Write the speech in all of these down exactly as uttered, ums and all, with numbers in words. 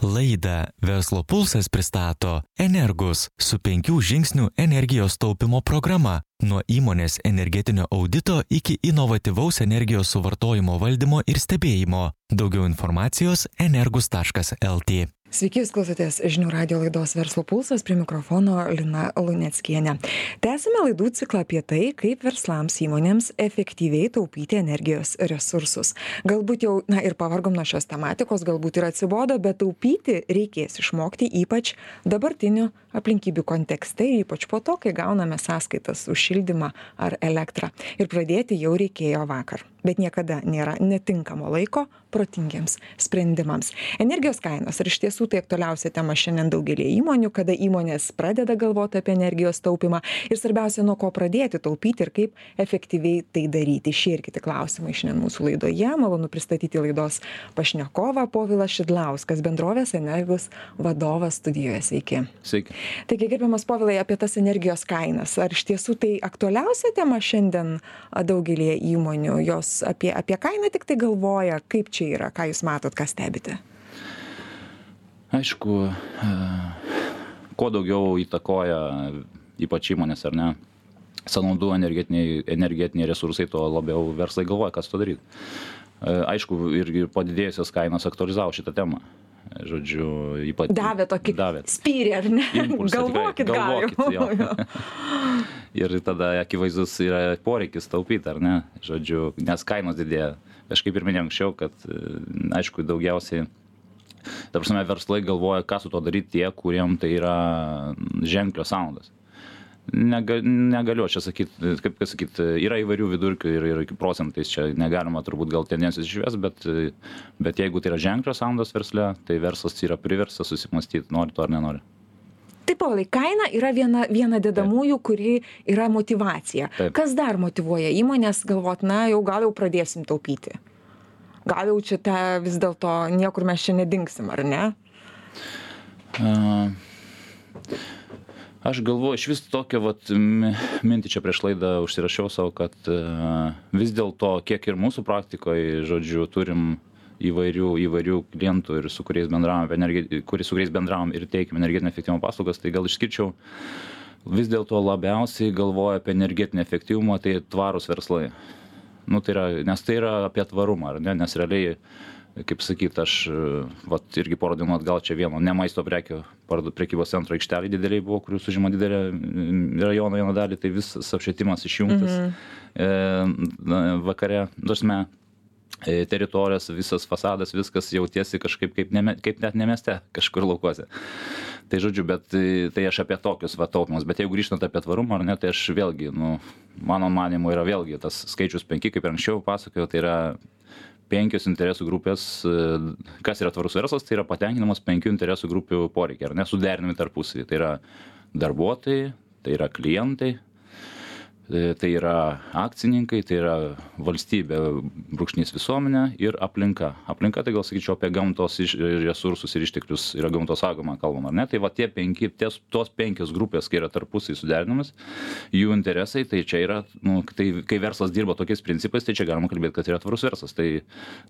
Laidą Verslo pulsas pristato Energus su penkių žingsnių energijos taupimo programa. Nuo įmonės energetinio audito iki inovatyvaus energijos suvartojimo valdymo ir stebėjimo. Daugiau informacijos energus taškas lt. Sveiki, jūs klausotės žinių radijo laidos Verslo pulsas, prie mikrofono Lina Luneckienė. Tęsime laidų ciklą apie tai, kaip verslams įmonėms efektyviai taupyti energijos resursus. Galbūt jau, na ir pavargom nuo šios tematikos, galbūt ir atsibodo, bet taupyti reikės išmokti ypač dabartinių aplinkybių kontekste, ypač po to, kai gauname sąskaitas už šildymą ar elektrą. Ir pradėti jau reikėjo vakar. Bet niekada nėra netinkamo laiko protingiems sprendimams. Energijos kainos ir iš tiesų tai aktualiausia tema šiandien daugelį įmonių, kada įmonės pradeda galvoti apie energijos taupimą ir svarbiausia, nuo ko pradėti taupyti ir kaip efektyviai tai daryti. Šie ir kiti klausimai šiandien mūsų laidoje. Malonu pristatyti laidos pašnekovą Povilas Šidlauskas, bendrovės Energus vadovas studijoje. Sveiki. Sveiki. Taigi, gerbiamas Povilai, apie tas energijos kainas. Ar iš tiesų tai aktualiausia tema šiandien daugelį įmonių? Jos apie, apie kainą tik tai galvoja, kaip čia yra, ką jūs matot, ką stebite? Aišku, kuo daugiau įtakoja ypač įmonės, ar ne, sąnaudų energetiniai, energetiniai resursai, tuo labiau verslai galvoja, kas to daryti. Aišku, ir, ir padidėjusios kainos aktualizavo šitą temą. Žodžiu, ypač... Davė tokį davė. Spyrį, ar ne? Impulsą, galvokit, tikrai, galvokit, galim. Ir tada akivaizdus yra poreikis taupyti, ar ne? Žodžiu, nes kainos didėja. Aš kaip ir minėjau anksčiau, kad, aišku, daugiausiai, ta prasme, verslai galvoja, ką su to daryti tie, kuriem tai yra ženklios sąnaudos. Nega, negaliu čia sakyti, kaip sakyti, yra įvairių vidurkių ir, ir procentais čia negalima turbūt gal tendencijos išvės, bet, bet jeigu tai yra ženklios sąnaudos versle, tai verslas yra priverstas susimastyti, nori to ar nenori. Taip, Povilai, kaina yra viena, viena dedamųjų, kuri yra motyvacija. Taip. Kas dar motyvuoja įmonės galvot, na, jau gal jau pradėsim taupyti? Gal jau čia ta, vis dėlto niekur mes čia nedingsim, ar ne? Uh, aš galvoju, iš vis tokią vat, mintį čia prieš laidą užsirašiau savo, kad uh, vis dėlto, kiek ir mūsų praktikoje, žodžiu, turim įvairių, įvairių klientų ir su kuriais bendravom, kuris, su kuriais bendravom ir teikiam energetinio efektyvumo paslaugas, tai gal išskirčiau vis dėlto labiausiai galvoja apie energetinį efektyvumą, tai tvarūs verslai. Nu, tai yra, nes tai yra apie tvarumą, ar ne? Nes realiai, kaip sakyt, aš vat, irgi porą dienų atgal čia vieno ne maisto prekių prekybos centro aikštelė dideliai buvo, kurių užima didelę rajono vieną dalį, tai visas apšvietimas išjungtas mm-hmm. e, vakare, dažnai teritorijos, visas fasadas, viskas jautiesi kažkaip kaip, ne, kaip net ne mieste, kažkur laukuose. Tai žodžiu, bet tai aš apie tokius va taupimus, bet jeigu grįžtant apie tvarumą, ar ne, tai aš vėlgi, nu, mano manimu yra vėlgi tas skaičius penki, kaip ir anksčiau pasakojau, tai yra penkios interesų grupės, kas yra tvarus verslas, tai yra patenkinamos penkių interesų grupių poreikiai, ar ne, suderinami tarpusavy. Tai yra darbuotojai, tai yra klientai, tai yra akcininkai, tai yra valstybė, brūkšnys visuomenė ir aplinka. Aplinka, tai gal sakyčiau apie gamtos resursus ir išteklius, yra gamtos saugoma kalbama, ar ne? Tai va tie penki, ties, tos penkios grupės, kai yra tarpusai suderinamas, jų interesai, tai čia yra, nu, tai, kai verslas dirba tokiais principais, tai čia galima kalbėti, kad yra tvarus verslas. Tai,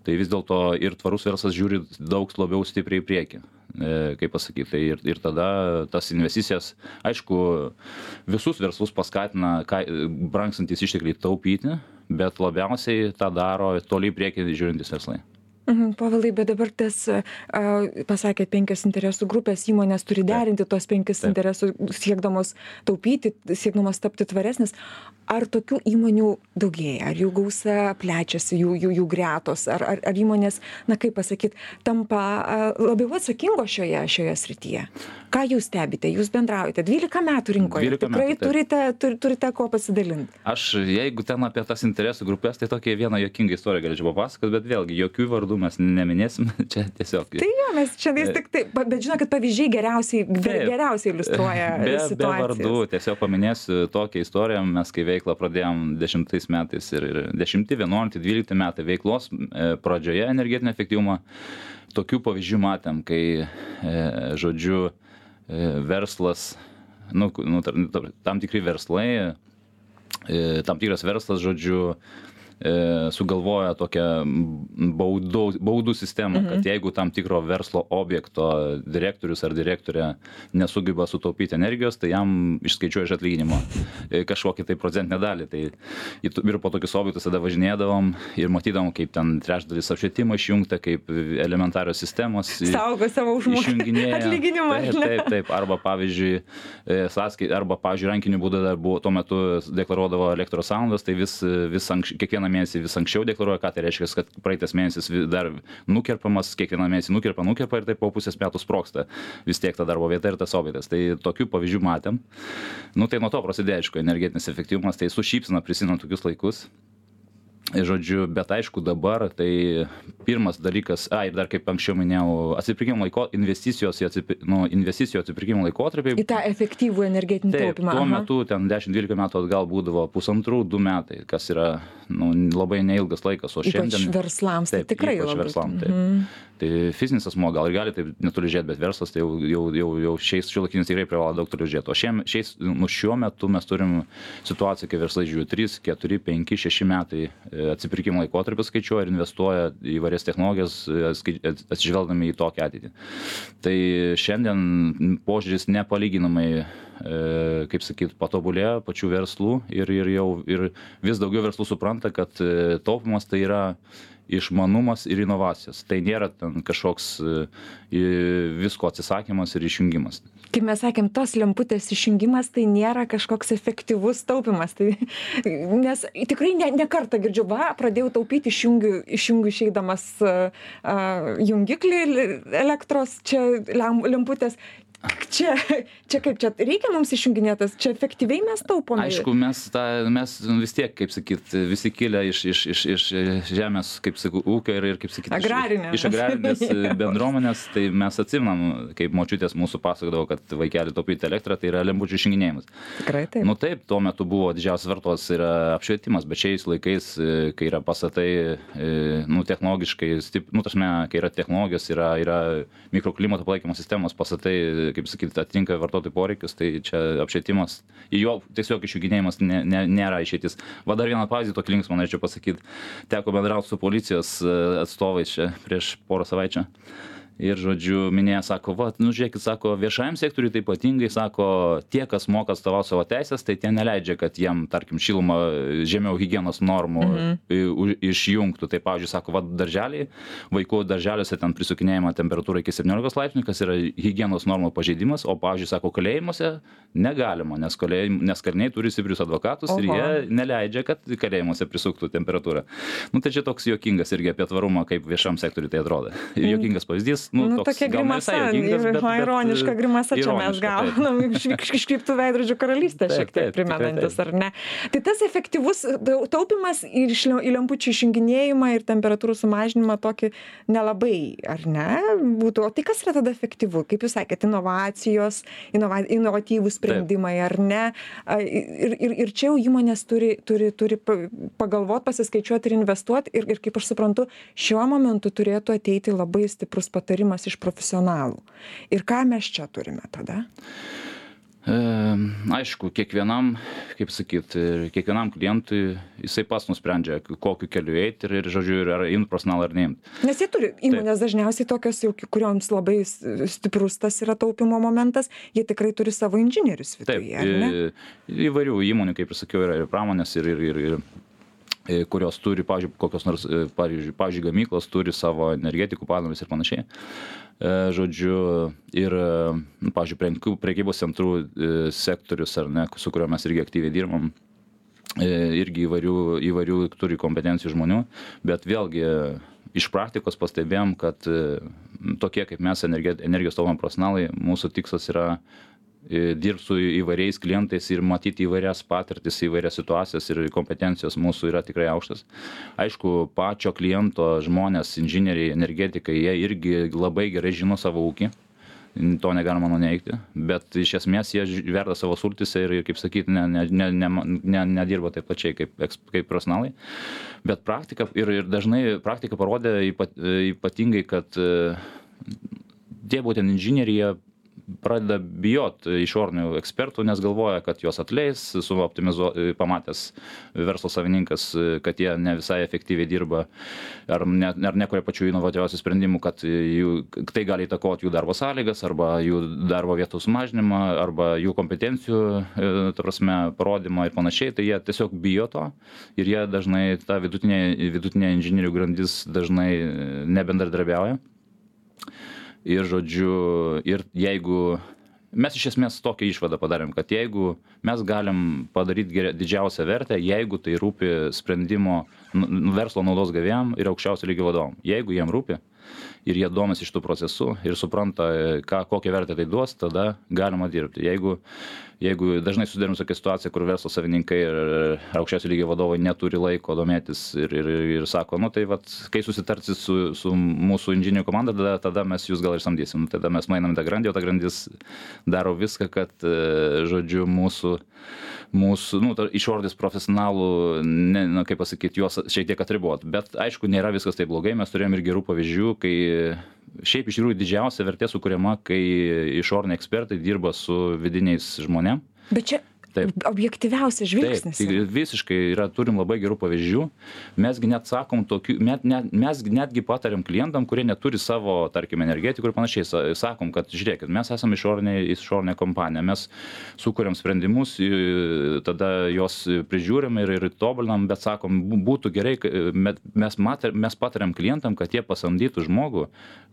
tai vis dėlto ir tvarus verslas žiūri daug labiau stipriai į priekį, e, kaip pasakyti. Tai ir, ir tada tas investicijas, aišku, visus verslus paskatina, ką, brangstantis ištekliai taupyti, bet labiausiai tą daro toliai priekį žiūrintys verslai. Mhm, Povilai, bet dabar tas, uh, pasakėt, penkios interesų grupės, įmonės turi derinti tos penkis interesų, siekdamos taupyti, siekdamos tapti tvaresnis. Ar tokių įmonių daugėja, ar jų gausa plečiasi, jų, jų, jų gretos, ar, ar, ar įmonės, na kaip pasakyti, tampa uh, labiau atsakingo šioje, šioje srityje? Ką jūs stebite? Jūs bendraujate dvylika metų rinkoje. Tikrai metų, turite, tur, turite ko pasidalinti. Aš, jeigu ten apie tas interesų grupės, tai tokia viena juokinga istorija galėčiau papasakoti, bet vėlgi jokių vardų mes neminėsim, čia tiesiog. Tai jo, mes čia vis tik tai, bet žinokit, pavyzdžiai geriausiai, geriausiai iliustruoja be, situacijas. Be vardų, tiesiog paminėsiu tokią istoriją, mes kai veiklą pradėjom dešimtais metais ir, ir dešimti, vienuolikti, dvylikti metai veiklos e, pradžioje energetinio efektyvumo, tokių pavyzdžių matėm, kai, e, žodžiu, verslas, nu, nu, tam tikri verslai, tam tikras verslas, žodžiu, sugalvoja tokią baudų, baudų sistemą, mhm. kad jeigu tam tikro verslo objekto direktorius ar direktorė nesugeba sutaupyti energijos, tai jam išskaičiuoja iš atlyginimo kažkokį tai procentinę dalį. Tai ir po tokius objektus tada važinėdavom ir matydavom, kaip ten trečdalis apšvietimo išjungta, kaip elementarios sistemos saugo savo užmokestį atlyginimą. Taip, taip, taip. Arba pavyzdžiui, sąskai, arba pavyzdžiui, rankiniu būdu dar buvo, tuo metu deklaruodavo elektros sąnaudas, tai vis, vis anks, kiekvieną mėnesį vis anksčiau deklaruoja, ką tai reiškia, kad praeitas mėnesis dar nukerpamas, kiekvieną mėnesį nukerpa, nukerpa ir taip po pusės metų sprogsta vis tiek ta darbo vieta ir tas objektas. Tai tokių pavyzdžių matėm. Nu tai nuo to prasidėjo, aišku, energetinis efektyvumas, tai su šypsena prisimenu tokius laikus. Žodžiu, bet aišku dabar, tai pirmas dalykas, a, ir dar kaip anksčiau minėjau, atsipirkimo laiko, investicijos į atsipi, nu, investicijų atsipirkimo laikotarpiai. Į tą efektyvų energetinį taupimą. Tuo metu, ten dešimt dvylika metų atgal būdavo pusantrų, du metai, kas yra nu, labai neilgas laikas, o šiandien... Ypač verslams, tai taip, tikrai ypač labai. Verslam, taip. Mm. Tai fizinis asmuo gal ir gali taip neturi žiūrėti, bet verslas tai jau, jau, jau, jau šiais šiuolaikiniais tikrai privalo daug turi žiūrėti. O šiem, šiais, nu, šiuo metu mes turim situaciją, kai verslai žiūri trys, keturi, penki, šeši metai atsipirkimo laikotarpį skaičiuoja ir investuoja į įvairias technologijas, atsižvelgdami į tokią ateitį. Tai šiandien požiūris nepalyginamai, kaip sakyt, patobulėjo pačių verslų ir, ir jau ir vis daugiau verslų supranta, kad taupimas tai yra išmanumas ir inovacijos. Tai nėra ten kažkoks visko atsisakymas ir išjungimas. Kaip mes sakėm, tos lemputės išjungimas tai nėra kažkoks efektyvus taupimas. Tai, nes tikrai ne, ne kartą girdžiu, va, pradėjau taupyti, išjungiu, išjungiu išeidamas uh, jungiklį elektros, čia lemputės. Čia, čia kaip čia, reikia mums išjunginėtas, čia efektyviai mes taupome. Aišku, mes, ta, mes vis tiek, kaip sakyt, visi kilę iš, iš, iš, iš žemės, kaip sakau, ūkio ir, ir kaip sakyt, agrarinės. Iš, iš agrarinės bendruomenės, tai mes atsimenam, kaip močiutės mūsų pasakodavo, kad vaikelį taupyti elektrą, tai yra lempučių išjunginėjimas. Tikrai taip. Nu taip, tuo metu buvo didžiausias vartos yra apšvietimas, bet šiais laikais, kai yra pastatai, nu, technologiškai, stip, nu, tašme, kai yra technologijos, yra, yra mikroklimato palaikymo sistemos pastatai, kaip sakyti, atitinka vartotojų poreikius, tai čia apšvietimas, į jo tiesiog išjunginėjimas ne, ne, nėra išeitis. Va dar vieną pavyzdį tokį linksmą norėčiau pasakyti. Teko bendrauti su policijos atstovais čia prieš porą savaičių. Ir, žodžiu, minėja, sako, va, nu, žiūrėkit, sako, viešajam sektoriui tai ypatingai, sako, tie, kas moka atstovauti savo teisės, tai tie neleidžia, kad jiem, tarkim, šilumą žemiau higienos normų mm-hmm. išjungtų. Tai, pavyzdžiui, sako, va, darželiai, vaikų darželiuose ten prisukinėjama temperatūra iki septyniolikos laipsnių, kas yra higienos normų pažeidimas, o, pavyzdžiui, sako, kalėjimuose negalima, nes, kalėjim, nes kaliniai turi stiprius advokatus. Oho. Ir jie neleidžia, kad kalėjimuose prisuktų temperatūrą. Nu, tai čia toks juokingas irgi apie tvarumą, kaip viešam sektoriui tai atrodo. Mm. Juokingas pavyzdys. Nu, nu, tokia grimasa, ironiška grimasa čia mes gaunam, iškreiptų veidrodžių karalystę šiek tiek primenantis, ar ne? Tai tas efektyvus taupimas ir į lempučių išjunginėjimą ir temperatūrų sumažinimą tokį nelabai, ar ne, būtų. O tai kas yra tada efektyvu? Kaip jūs sakėte, inovacijos, inova, inovatyvūs sprendimai, ar ne? Ir, ir, ir čia jau įmonės turi, turi, turi pagalvoti, pasiskaičiuoti ir investuoti. Ir, ir kaip aš suprantu, šiuo momentu turėtų ateiti labai stiprus patarimas iš profesionalų. Ir ką mes čia turime tada? E, aišku, kiekvienam, kaip sakyt, kiekvienam klientui jisai pats nusprendžia, kokiu keliu eiti ir, ir žodžiu, ar imti profesionalą ar neimti. Nes jie turi, įmonės Taip. Dažniausiai tokios, jau, kurioms labai stiprus tas yra taupimo momentas, jie tikrai turi savo inžinierius viduje, ar ne? Taip, įvairių įmonių, kaip ir sakiau, yra ir pramonės, ir, ir, ir, ir kurios turi, pavyzdžiui, kokios nors, pavyzdžiui, pavyzdžiui, gamyklos turi savo energetikų padalinius ir panašiai. Žodžiu, ir, nu, pavyzdžiui, prekybos centrų sektorius, ar ne, su kuriuo mes irgi aktyviai dirbam, irgi įvairių, įvairių turi kompetencijų žmonių, bet vėlgi iš praktikos pastebėjom, kad tokie kaip mes energijos taupymo profesionalai, mūsų tikslas yra dirbti su įvairiais klientais ir matyti įvairias patirtis, įvairias situacijas ir kompetencijos mūsų yra tikrai aukštas. Aišku, pačio kliento žmonės, inžinieriai, energetikai, jie irgi labai gerai žino savo ūkį, to negalima nuneigti, bet iš esmės jie verda savo sultyse ir, kaip sakyti, ne, ne, ne, ne, ne, nedirba taip pačiai kaip, kaip profesionalai. Bet praktika, ir, ir dažnai praktika parodė ypat, ypatingai, kad tie būtent inžinieriai pradeda bijot išorinių ekspertų, nes galvoja, kad juos atleis, suoptimizuo, pamatęs verslo savininkas, kad jie ne visai efektyviai dirba, ar, ne, ar nekuria pačių inovatyviausių sprendimų, kad jų, tai gali įtakoti jų darbo sąlygas, arba jų darbo vietų sumažinimą, arba jų kompetencijų, ta prasme, parodymą ir panašiai, tai jie tiesiog bijo to ir jie dažnai, ta vidutinė, vidutinė inžinierių grandis dažnai nebendradarbiauja. Ir žodžiu, ir jeigu mes iš esmės tokią išvadą padarėm, kad jeigu mes galim padaryti geria, didžiausią vertę, jeigu tai rūpi sprendimo verslo naudos gavėjam ir aukščiausio lygio vadovam. Jeigu jiem rūpi ir jie domisi iš tų procesų ir supranta, ką, kokią vertę tai duos, tada galima dirbti. Jeigu, jeigu dažnai susidarim tokia situacija, kur verslo savininkai ir aukščiausio lygio vadovai neturi laiko domėtis ir, ir, ir sako, nu tai vat, kai susitarsi su, su mūsų inžinierių komanda, tada, tada mes jūs gal ir samdysim. Tada mes mainam tą grandį, o ta grandis daro viską, kad, žodžiu, mūsų, mūsų nu, išordis profesionalų, ne, na, kaip pasakyti, juos šiek tiek atribot. Bet aišku, nėra viskas taip blogai, mes turėjom ir gerų pavyzdžių, kai šiaip iš tikrųjų didžiausia vertė sukuriama, kai išoriniai ekspertai dirba su vidiniais žmonėm. Bet čia Taip. Objektyviausias žvilgsnis. Taip, tai visiškai yra, turim labai gerų pavyzdžių. Mesgi net sakom tokių, met, net, mes netgi patariam klientam, kurie neturi savo, tarkim, energetikų ir panašiai, sakom, kad žiūrėkit, mes esame išorinė, išorinė kompanija, mes sukuriam sprendimus, tada juos prižiūrim ir, ir tobulinam, bet sakom, būtų gerai, mes, mater, mes patariam klientam, kad jie pasamdytų žmogų,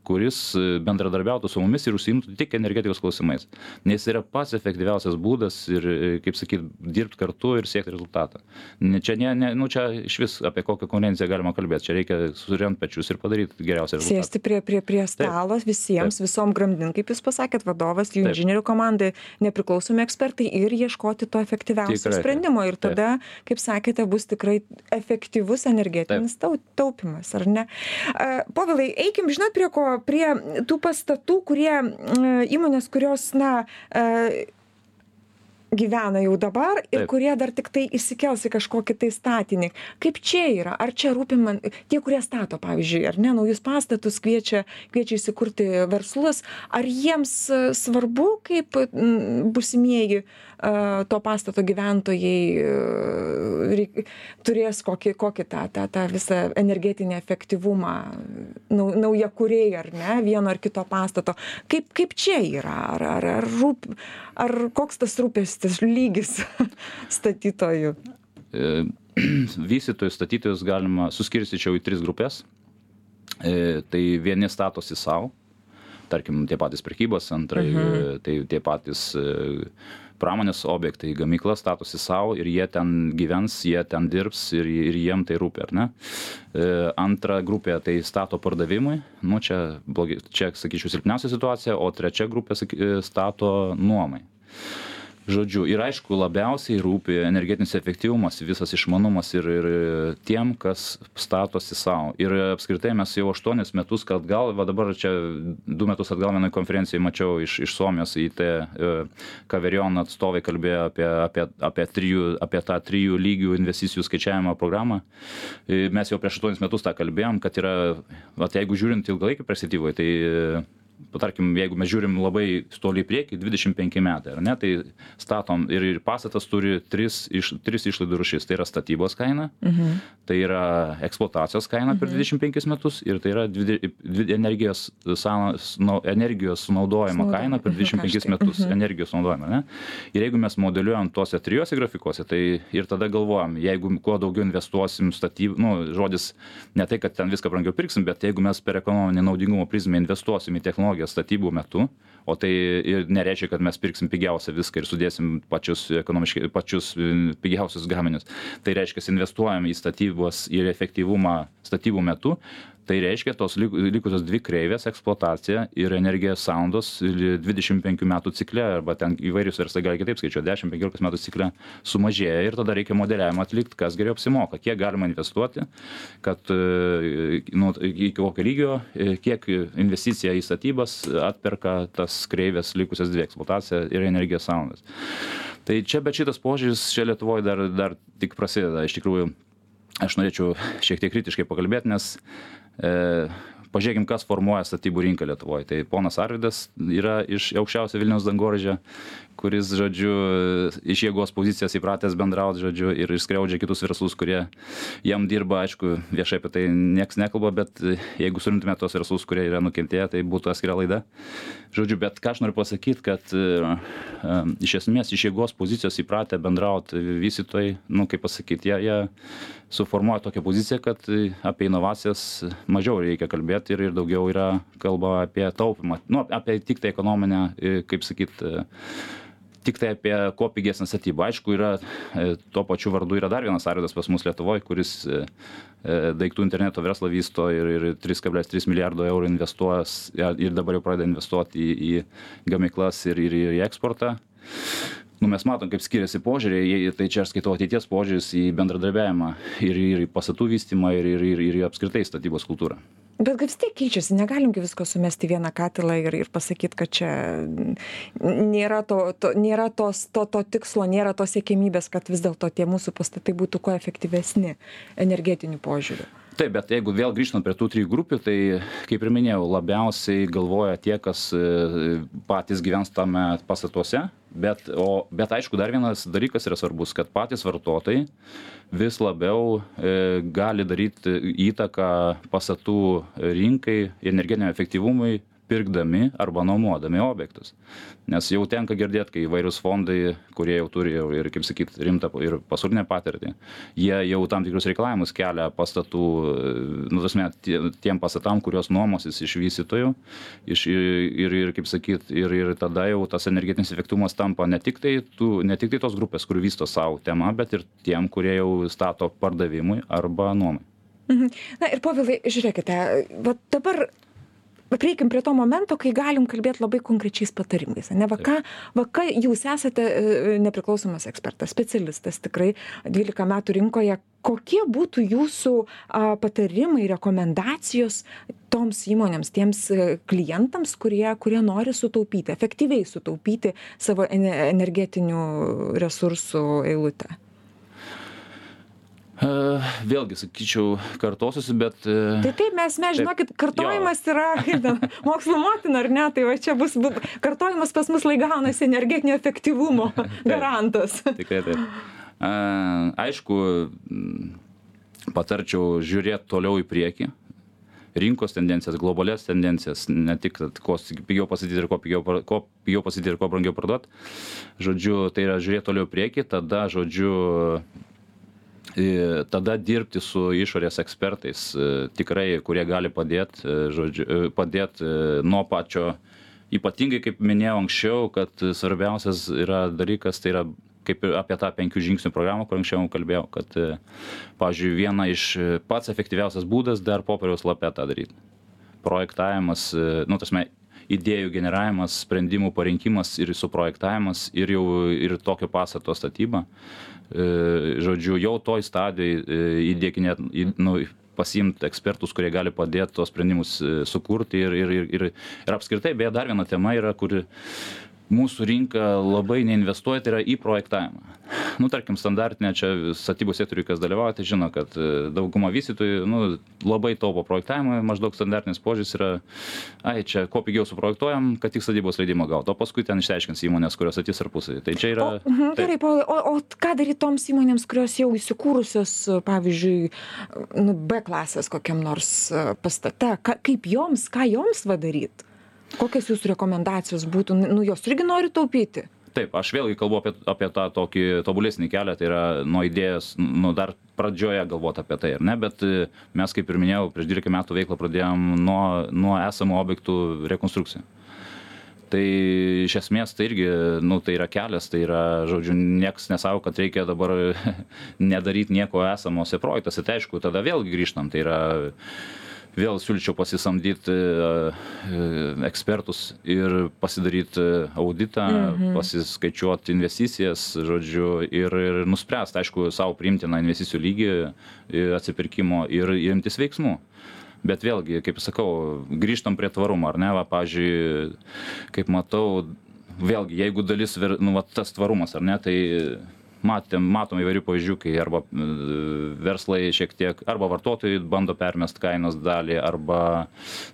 kuris bendradarbiautų su mumis ir užsiimtų tik energetikos klausimais. Nes yra pats efektyviausias būdas ir, kaip sakyt, dirbti kartu ir siekti rezultatą. Čia, ne, ne, nu, čia iš vis apie kokią konkurenciją galima kalbėti. Čia reikia surent pečius ir padaryti geriausią rezultatą. Sėsti prie, prie, prie stalo Taip. visiems, Taip. visom grandin, kaip jūs pasakėt, vadovas, jų inžinierių komandai, nepriklausomi ekspertai ir ieškoti to efektyviausio tikrai. sprendimo. Ir tada, Taip. kaip sakėte, bus tikrai efektyvus energetinis Taip. taupimas, ar ne? Uh, Povilai, eikim, žinot, prie ko? Prie tų pastatų, kurie uh, įmonės, kurios, na, uh, gyvena jau dabar ir Taip. kurie dar tik tai įsikels į kažkokį tai statinį. Kaip čia yra? Ar čia rūpi man tie, kurie stato, pavyzdžiui, ar ne, naujus pastatus kviečia, kviečia įsikurti verslus, ar jiems svarbu, kaip būsimieji to pastato gyventojai reik, turės kokį, kokį tą, tą, tą visą energetinį efektyvumą, nau, naujakuriai, ar ne, vieno ar kito pastato. Kaip, kaip čia yra? Ar, ar, ar, rūp, ar koks tas rūpestis lygis statytojų? Vystytojus, statytojus galima suskirstyčiau į tris grupės. Tai vieni statosi savo, tarkim, tie patys prekybos centrai, mhm. tai tie patys pramonės objektai, gamykla statosi savo ir jie ten gyvens, jie ten dirbs ir, ir jiem tai rūpi, ar ne? Antra grupė tai stato pardavimui, nu čia, blogi, čia sakyčiau, silpniausia situacija, o trečia grupė stato nuomai. Žodžiu, ir aišku, labiausiai rūpi energetinis efektyvumas, visas išmanumas ir, ir tiem, kas statosi savo. Ir apskritai mes jau aštuonis metus, kad gal, va dabar čia du metus atgal vienoj konferencijai mačiau iš, iš Suomijos į T Kaverion atstovai kalbėjo apie, apie, apie, trijų, apie tą trijų lygių investicijų skaičiavimo programą. Mes jau prieš aštuonis metus tą kalbėjom, kad yra, va, jeigu žiūrint ilgalaikį perspektyvoj, tai tarkim, jeigu mes žiūrim labai toli į priekį, dvidešimt penki metai, ar ne, tai statom ir, ir pastatas turi tris, iš, tris išlaidų rūšis. Tai yra statybos kaina, mhm. tai yra eksploatacijos kaina per mhm. dvidešimt penkis metus ir tai yra dvi, dvi, energijos, nu, energijos sunaudojimo Snauda. kaina per dvidešimt penkis metus. Mhm. Energijos sunaudojimo, ne? Ir jeigu mes modeliuojam tuose trijose grafikuose, tai ir tada galvojam, jeigu kuo daugiau investuosim statybų, nu, žodis ne tai, kad ten viską brangiau pirksim, bet jeigu mes per ekonominį naudingumo prizmę investuosim į technologiją statybų metu, o tai ir nereiškia, kad mes pirksim pigiausią viską ir sudėsim pačius ekonomiškai, pačius pigiausius gaminius. Tai reiškia, investuojam į statybos ir efektyvumą statybų metu. Tai reiškia, tos likusios dvi kreivės, eksploatacija ir energijos sąnaudos dvidešimt penkių metų cikle, arba ten įvairius verslai gali kitaip skaičiuoti, dešimt penkiolikos metų cikle sumažėja ir tada reikia modeliavimą atlikti, kas geriau apsimoka, kiek galima investuoti, kad nu, iki kokio lygio, kiek investicija į statybas atperka tas kreivės likusias dvi, eksploatacija ir energijos sąnaudos. Tai čia, bet šitas požiūris čia Lietuvoje dar, dar tik prasideda. Iš tikrųjų, aš norėčiau šiek tiek kritiškai pakalbėti, nes E, pažiūrėkim, kas formuoja statybų rinką Lietuvoje. Tai ponas Arvydas yra iš aukščiausio Vilniaus dangoraižio, kuris, žodžiu, iš jėgos pozicijos įpratęs bendrauti, žodžiu, ir skriaudžia kitus verslus, kurie jam dirba, aišku, viešai apie tai nieks nekalba, bet jeigu surinktume tos verslus, kurie yra nukentėję, tai būtų atskira laida. Žodžiu, bet ką aš noriu pasakyti, kad uh, iš esmės iš jėgos pozicijos įpratę bendrauti vystytojai, nu, kaip pasakyti, jie, jie suformuoja tokią poziciją, kad apie inovacijas mažiau reikia kalbėti ir, ir daugiau yra kalba apie taupimą, nu, apie tik tai ekonominę, kaip sakyti, tik tai apie kuo pigesnę statybą. Aišku, yra, tuo pačiu vardu yra dar vienas Arvydas pas mus Lietuvoje, kuris daiktų interneto verslą vysto ir, ir trys kablelis trys milijardo eurų investuojas ir dabar jau pradeda investuoti į, į gamyklas ir, ir į eksportą. Nu, mes matom, kaip skiriasi požiūriai, tai čia aš skaitau ateities požiūris į bendradarbiavimą ir, ir į pastatų vystymą ir, ir, ir, ir apskritai statybos kultūrą. Bet kaip vis tiek keičiasi, negalim visko sumesti vieną katilą ir, ir pasakyti, kad čia nėra, to, to, nėra tos, to, to tikslo, nėra tos siekimybės, kad vis dėlto tie mūsų pastatai būtų kuo efektyvesni energetiniu požiūriu. Taip, bet jeigu vėl grįžtant prie tų trijų grupių, tai, kaip ir minėjau, labiausiai galvoja tie, kas patys gyvens tame pastatuose, bet, o, bet aišku, dar vienas dalykas yra svarbus, kad patys vartotojai vis labiau e, gali daryti įtaką pastatų rinkai, energetiniam efektyvumui, pirkdami arba nuomodami objektus. Nes jau tenka girdėti, kai įvairius fondai, kurie jau turi ir, kaip sakyt, rimtą ir pasaulinę patirtį, jie jau tam tikrus reikalavimus kelia pastatų, nu, tasme, tiem pastatam, kurios nuomosis iš vystytojų, iš, ir, ir, kaip sakyt, ir, ir tada jau tas energetinis efektyvumas tampa ne tik tai, tų, ne tik tai tos grupės, kur vysto savo temą, bet ir tiem, kurie jau stato pardavimui arba nuomai. Mhm. Na ir Povilai, žiūrėkite, va dabar prieikim prie to momento, kai galim kalbėti labai konkrečiais patarimais. Ne, va, ką, va, ką jūs esate nepriklausomas ekspertas, specialistas tikrai dvylika metų rinkoje. Kokie būtų jūsų a, patarimai, rekomendacijos toms įmonėms, tiems klientams, kurie, kurie nori sutaupyti, efektyviai sutaupyti savo energetinių resursų eilutę? Uh, vėlgi, sakyčiau, kartosiuosi, bet... Uh, tai taip, mes, mes žinokit, kartojimas jo. Yra kaip, mokslo motina, ar ne? Tai va čia bus, kartojimas pas mus laikaunas energetinio efektyvumo garantas. Tikrai taip. Uh, aišku, patarčiau žiūrėti toliau į priekį. Rinkos tendencijas, globalias tendencijas, ne tik ko pigiau pasakyti ir ko pigiau, ko pigiau pasakyti ir ko brangiau parduoti. Žodžiu, tai yra žiūrėti toliau į priekį, tada, žodžiu, tada dirbti su išorės ekspertais, tikrai, kurie gali padėti, žodžiu, padėti nuo pačio, ypatingai, kaip minėjau anksčiau, kad svarbiausias yra dalykas, tai yra kaip apie tą penkių žingsnių programą, kur anksčiau kalbėjau, kad, pavyzdžiui, viena iš pats efektyviausias būdas dar popieriaus lape tą daryti. Projektavimas, nu, tasme, idėjų generavimas, sprendimų parinkimas ir suprojektavimas ir jau ir tokio pastato statyba. Žodžiu, jau toj stadijoj įdėkinėt, nu, pasiimti ekspertus, kurie gali padėti tos sprendimus sukurti ir, ir, ir, ir apskritai, beje, dar viena tema yra, kuri mūsų rinka labai neinvestuoja, tai yra į projektavimą. Nu, tarkim, standartinė čia statybos sektoriui, kas dalyvauja, tai žino, kad dauguma vystytojų, nu, labai taupo projektavimą, maždaug standartinis požiūris yra, ai, čia kuo pigiau suprojektuojam, kad tik statybos leidimą gautų, o paskui ten išsiaiškins įmonės, kurios statys tarpusavy. Tai čia yra... O, mhm, gerai, Paulai, o, o ką daryti toms įmonėms, kurios jau įsikūrusios, pavyzdžiui, nu, B klasės kokiam nors pastate, Ka, kaip joms, ką joms va daryti? Kokios jūsų rekomendacijos būtų, nu, jos irgi nori taupyti? Taip, aš vėlgi kalbu apie, apie tą tokį tobulesnį kelią, tai yra nuo idėjos, nu, dar pradžioje galvoti apie tai, ar ne, bet mes, kaip ir minėjau, prieš dvylika metų veiklą pradėjom nuo, nuo esamų objektų rekonstrukcijų. Tai iš esmės tai irgi, nu, tai yra kelias, tai yra, žodžiu, nieks nesako, kad reikia dabar nedaryti nieko esamose projektuose, tai aišku, tada vėlgi grįžtam, tai yra... Vėl siūlyčiau pasisamdyti ekspertus ir pasidaryti auditą, mhm. pasiskaičiuoti investicijas, žodžiu, ir, ir nuspręsti, aišku, savo priimtiną investicijų lygį atsipirkimo ir imtis veiksmų. Bet vėlgi, kaip sakau, grįžtam prie tvarumo, ar ne, va, pavyzdžiui, kaip matau, vėlgi, jeigu dalis, nu, va, tas tvarumas, ar ne, tai matėm, matom įvairių pavyzdžių, kai arba verslai šiek tiek, arba vartotojai bando permest kainos dalį, arba,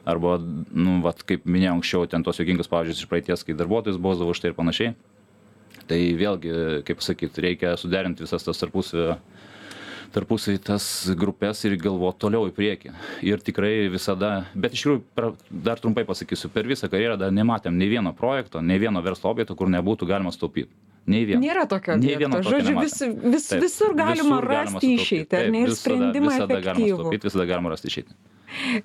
arba nu, vat, kaip minėjau anksčiau, ten tos juokingus pavyzdžius iš praeities, kai darbuotojus bausdavo už tai ir panašiai. Tai vėlgi, kaip sakyt, reikia suderinti visas tas tarpusavio tarpusai tas grupės ir galvoti toliau į priekį. Ir tikrai visada, bet iš tikrųjų, dar trumpai pasakysiu, per visą karjerą dar nematėm nei vieno projekto, nei vieno verslo objekto, kur nebūtų galima sutaupyti. Nei vieno. Nėra tokio objekto. Žodžiu, vis, vis, Taip, visur galima visur rasti išeitį, ar ne, ir sprendimą visada, visada efektyvų. Galima sutaupyti, visada galima rasti išeitį.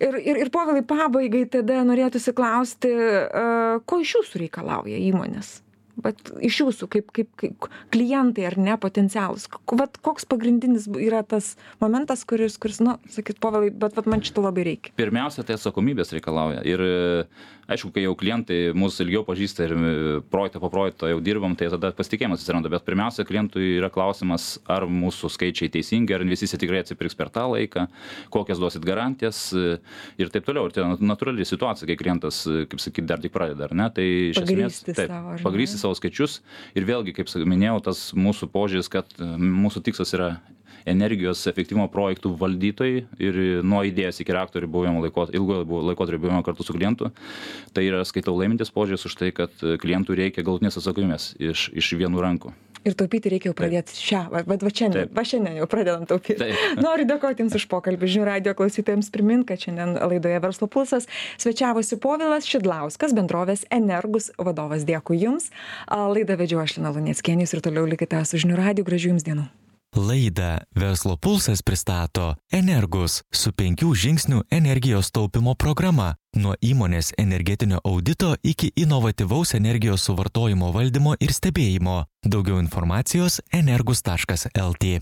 Ir, ir, ir Povilai, pabaigai tada norėtųsi klausti, uh, ko iš jūsų reikalauja įmonės? Bet iš jūsų, kaip, kaip, kaip klientai ar ne, potencialus, vat, koks pagrindinis yra tas momentas, kuris, kuris nu, sakyt, Povilai, bet vat, man šito labai reikia. Pirmiausia, tai atsakomybės reikalauja. Ir aišku, kai jau klientai mūsų ilgiau pažįsta ir projektą po projekto jau dirbam, tai tada pasitikėjimas atsiranda. Bet pirmiausia, klientui yra klausimas, ar mūsų skaičiai teisingi, ar investicija tikrai atsipirks per tą laiką, kokias duosit garantijas ir taip toliau. Ir tai natūrali situacija, kai klientas, kaip sakyt, dar tik pradeda, ar ne? Tai iš esmės, taip, pagrysti savo skaičius ir vėlgi, kaip minėjau, tas mūsų požiūris, kad mūsų tikslas yra energijos efektyvumo projektų valdytojai ir nuo idėjos iki reaktorių buvimo laikotarpio, ilgojo laikotarpio buvimo kartu su klientu. Tai yra, skaitau, laimintis požiūris už tai, kad klientų reikia galutinės atsakomybės iš, iš vienų rankų. Ir taupyti reikia jau pradėti šią, bet va šiandien, va šiandien jau pradedam taupyti. Taip. Noriu dėkoti Jums už pokalbį. Žinių radijo klausytojams primint, kad šiandien laidoje Verslo pulsas svečiavosi Povilas Šidlauskas, bendrovės Energus vadovas. Dėkui Jums. Laidą vedžiau aš, Lina Luneckienė, ir toliau likite su Žinių radiju. Gražių Jums dienų. Laidą Verslo pulsas pristato Energus su penkių žingsnių energijos taupimo programa. Nuo įmonės energetinio audito iki inovatyvaus energijos suvartojimo valdymo ir stebėjimo. Daugiau informacijos energus taškas lt.